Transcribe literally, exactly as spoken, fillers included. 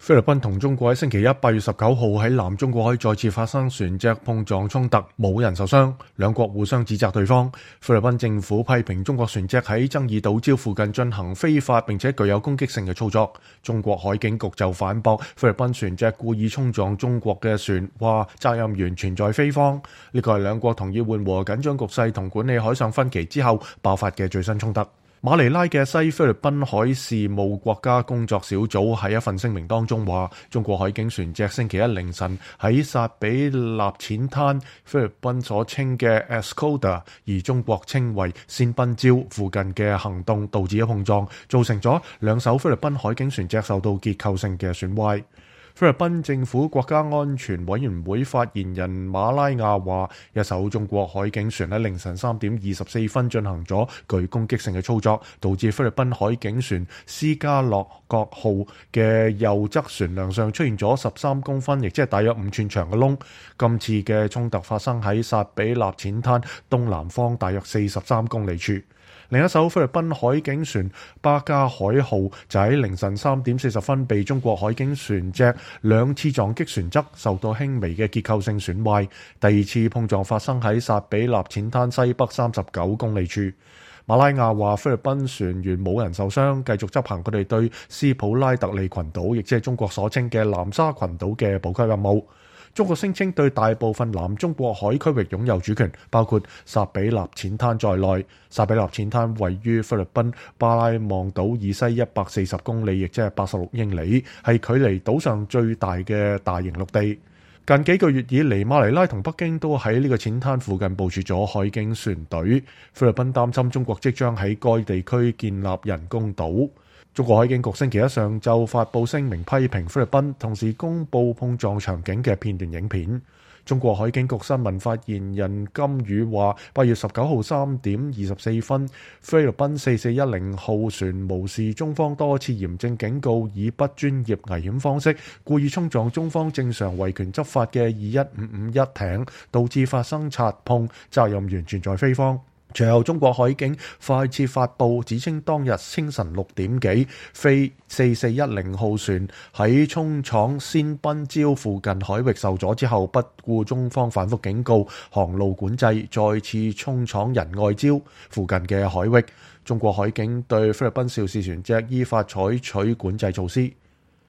菲律賓同中國喺星期一八月十九號喺南中國海再次發生船隻碰撞衝突，冇人受傷，兩國互相指責對方。菲律賓政府批評中國船隻喺爭議島礁附近進行非法並且具有攻擊性嘅操作。中國海警局就反駁菲律賓船隻故意衝撞中國嘅船，話責任完全在菲方。呢個係兩國同意緩和緊張局勢同管理海上分歧之後爆發嘅最新衝突。馬尼拉嘅西菲律賓海事務國家工作小組喺一份聲明當中話，中國海警船隻星期一凌晨喺薩比納淺灘菲律賓所稱嘅 Escoda， 而中國稱為仙賓礁附近嘅行動導致咗碰撞，造成咗兩艘菲律賓海警船隻受到結構性嘅損壞。菲律賓政府國家安全委員會發言人馬拉亞話，一艘中國海警船喺凌晨三點二十四分進行咗具攻擊性嘅操作，導致菲律賓海警船斯加洛國號嘅右側船梁上出現咗十三公分，亦即係大約五寸長嘅窿。今次嘅衝突發生喺薩比納淺灘東南方大約四十三公里處。另一艘菲律賓海警船巴加海號就喺凌晨三點四十分被中國海警船隻兩次撞擊船側，受到輕微嘅結構性損壞。第二次碰撞發生喺薩比納淺灘西北三十九公里處。馬拉亞話菲律賓船員冇人受傷，繼續執行佢哋對斯普拉特利群島，亦即係中國所稱嘅南沙群島嘅補給任務。中國聲稱對大部分南中國海區域擁有主權，包括薩比納淺灘在內。薩比納淺灘位於菲律賓巴拉望島以西一百四十公里，亦即係八十六英里，係距離島上最大嘅大型陸地。近幾個月以嚟，馬尼拉同北京都喺呢個淺灘附近部署咗海警船隊。菲律賓擔心中國即將喺該地區建立人工島。中國海警局星期一上晝發布聲明批評菲律賓，同時公佈碰撞場景嘅片段影片。中國海警局新聞發言人金宇話，八月十九號三點二十四分，菲律賓四四一零號船無視中方多次嚴正警告，以不專業危險方式故意衝撞中方正常維權執法嘅二一五五一艇，導致發生擦碰，責任完全在菲方。隨後，中國海警快捷發布指稱，當日清晨六點幾，菲四四一零號船喺衝闖仙賓礁附近海域受阻之後，不顧中方反覆警告、航路管制，再次衝闖仁愛礁附近嘅海域。中國海警對菲律賓肇事船隻依法採取管制措施。